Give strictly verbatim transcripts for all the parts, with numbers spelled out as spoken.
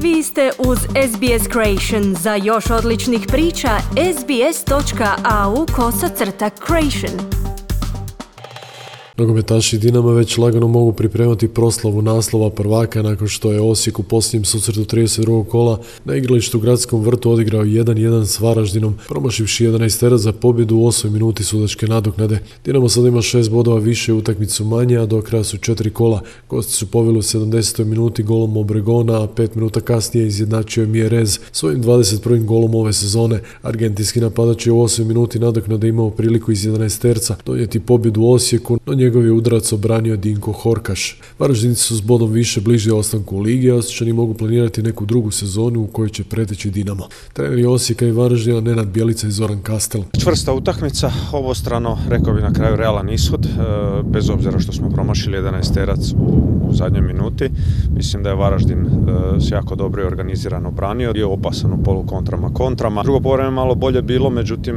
Vi ste uz S B S Creation. Za još odličnih priča, sbs.au kosacrta creation. Nogometaši Dinama već lagano mogu pripremati proslavu naslova prvaka nakon što je Osijek u posljednjem susretu trideset drugog kola na igralištu u Gradskom vrtu odigrao jedan jedan s Varaždinom, promašivši jedanaesterac za pobjedu u osmoj minuti sudačke nadoknade. Dinamo sad ima šest bodova više, utakmicu manje, a do kraja su četiri kola. Gosti su poveli u sedamdesetoj minuti golom Obregona, a pet minuta kasnije izjednačio je Mjerez svojim dvadeset prvim golom ove sezone. Argentinski napadač je u osmoj minuti nadoknade imao priliku iz jedanaesterca donijeti pobjedu u Osijeku, no njegov je udarac obranio Dinko Horkaš. Varaždinci su s bodom više bliži ostanku u ligi, a Osječani mogu planirati neku drugu sezonu u kojoj će preteći Dinamo. Treneri Osijeka i Varaždina Nenad Bjelica i Zoran Kastel. Čvrsta utakmica, obostrano, rekao bi na kraju realan ishod, bez obzira što smo promašili jedanaesterac u, u zadnjoj minuti. Mislim da je Varaždin s jako dobro i organizirano branio, je opasan u polukontrama, kontrama. Drugo poluvreme malo bolje bilo, međutim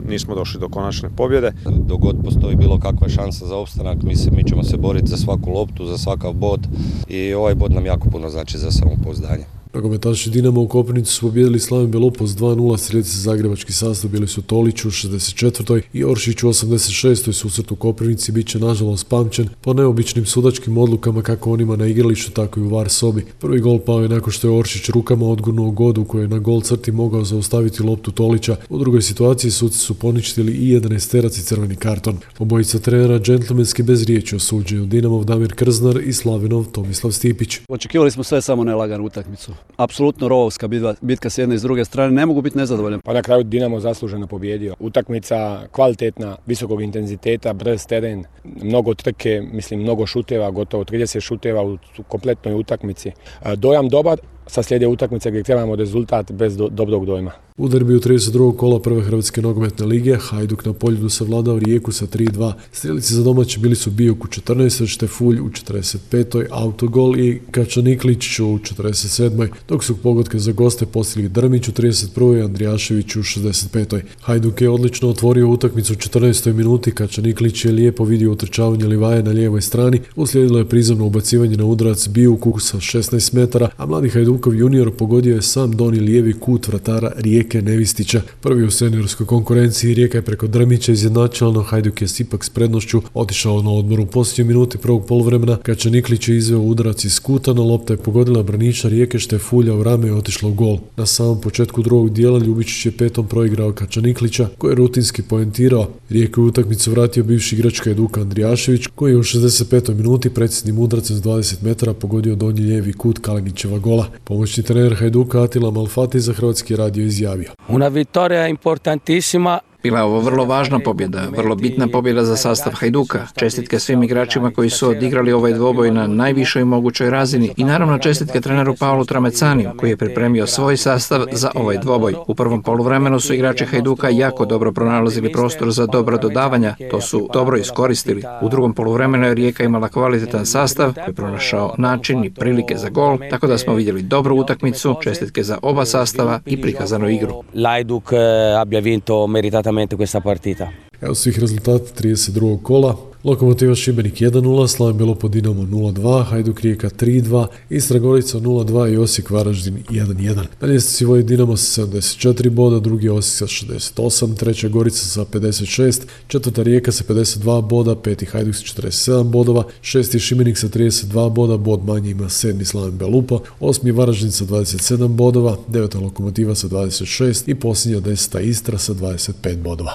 nismo došli do konačne pobjede. Dok god postoji bilo kakva šansa za opstanak, mislim, mi ćemo se boriti za svaku loptu, za svakav bod i ovaj bod nam jako puno znači za samopouzdanje. Nogometaši Dinama u Koprivnici su pobijedili Slaven Belupo s dva nula, slijedi zagrebački sastav, bili su Tolić u šezdeset četvrtoj i Oršić u osamdeset šestoj susret u Koprivnici bit će nažalost pamćen po neobičnim sudačkim odlukama kako onima na igralištu, tako i u var sobi. Prvi gol pao je nakon što je Oršić rukama odgurnuo Godu koji je na gol crti mogao zaustaviti loptu Tolića. U drugoj situaciji suci su poništili i jedanaesterac i crveni karton. Obojica trenera džentlmenski bez riječi osuđuju Dinamov Damir Krznar i Slavenov Tomislav Stipić. Očekivali smo sve samo ne laganu utakmicu. Apsolutno rovovska bitka, bitka s jedne i s druge strane, ne mogu biti nezadovoljan. Pa na kraju Dinamo zasluženo pobjedio. Utakmica kvalitetna, visokog intenziteta, brz teren, mnogo trke, mislim mnogo šuteva, gotovo trideset šuteva u kompletnoj utakmici. Dojam dobar, sa slijede utakmice gdje trebamo rezultat bez do, dobrog dojma. U derbiju trideset drugog kola prve Hrvatske nogometne lige Hajduk na Poljudu savladao Rijeku sa tri dva. Strelici za domaće bili su Bijuk u četrnaestoj, Štefulj u četrdeset petoj, autogol i Kačaniklić u četrdeset sedmoj, dok su pogodke za goste postigli Drmić u trideset prvoj i Andrijašević u šezdeset petoj. Hajduk je odlično otvorio utakmicu u četrnaestoj minuti, Kačaniklić je lijepo vidio utrčavanje Livaje na lijevoj strani, uslijedilo je prizemno ubacivanje na udarac Bijuku sa šesnaest metara, a mladi Hajdukov junior pogodio je sam donji lijevi kut vratara Rijeke Nevistića. Prvi u seniorskoj konkurenciji Rijeka je preko Drmića izjednačila, no Hajduk je ipak s prednošću otišao na odmor. U posljednjoj minuti prvog poluvremena Kačaniklić je izveo udarac iz kuta, no lopta je pogodila braniča Rijeke Štefulja u rame i otišla u gol. Na samom početku drugog dijela Ljubičić je petom proigrao Kačaniklića, koji je rutinski poentirao. Rijeku u utakmicu vratio bivši igrač Hajduka Andrijašević, koji je u šezdeset petoj minuti precisnim udarcem s dvadeset metara pogodio donji lijevi kut Kalinićeva gola. Pomoćni trener Hajduka Atila Malfati za Hrvatski radio izjavio: Una vittoria importantissima. Bila je ovo vrlo važna pobjeda, vrlo bitna pobjeda za sastav Hajduka. Čestitke svim igračima koji su odigrali ovaj dvoboj na najvišoj mogućoj razini i naravno čestitke treneru Paolu Tramecaniju koji je pripremio svoj sastav za ovaj dvoboj. U prvom poluvremenu su igrači Hajduka jako dobro pronalazili prostor za dobra dodavanja, to su dobro iskoristili. U drugom poluvremenu je Rijeka imala kvalitetan sastav koji je pronašao način i prilike za gol, tako da smo vidjeli dobru utakmicu, čestitke za oba sastava i prikazanu igru. Hajduk abbia vinto meritatamente questa partita. Evo svih rezultata trideset drugog kola. Lokomotiva Šibenik jedan nula, Slaven Belupo Dinamo nula dva, Hajduk Rijeka tri dva, Istra Gorica nula dva i Osijek Varaždin jedan jedan. Na ljestvici vodi Dinamo sa sedamdeset četiri boda, drugi Osijek sa šezdeset osam, treća Gorica sa pedeset šest, četvrta Rijeka sa pedeset dva boda, peti Hajduk sa četrdeset sedam bodova, šesti Šibenik sa trideset dva boda, bod manje ima sedmi Slaven Belupo, osmi Varaždin sa dvadeset sedam bodova, deveta Lokomotiva sa dvadeset šest i posljednja deseta Istra sa dvadeset pet bodova.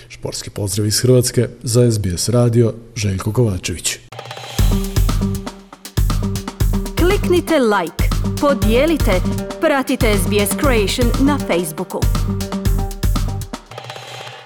Športski pozdrav iz Hrvatske za S B S radio, Željko Kovačević. Kliknite like, podijelite, pratite S B S Creation na Facebooku.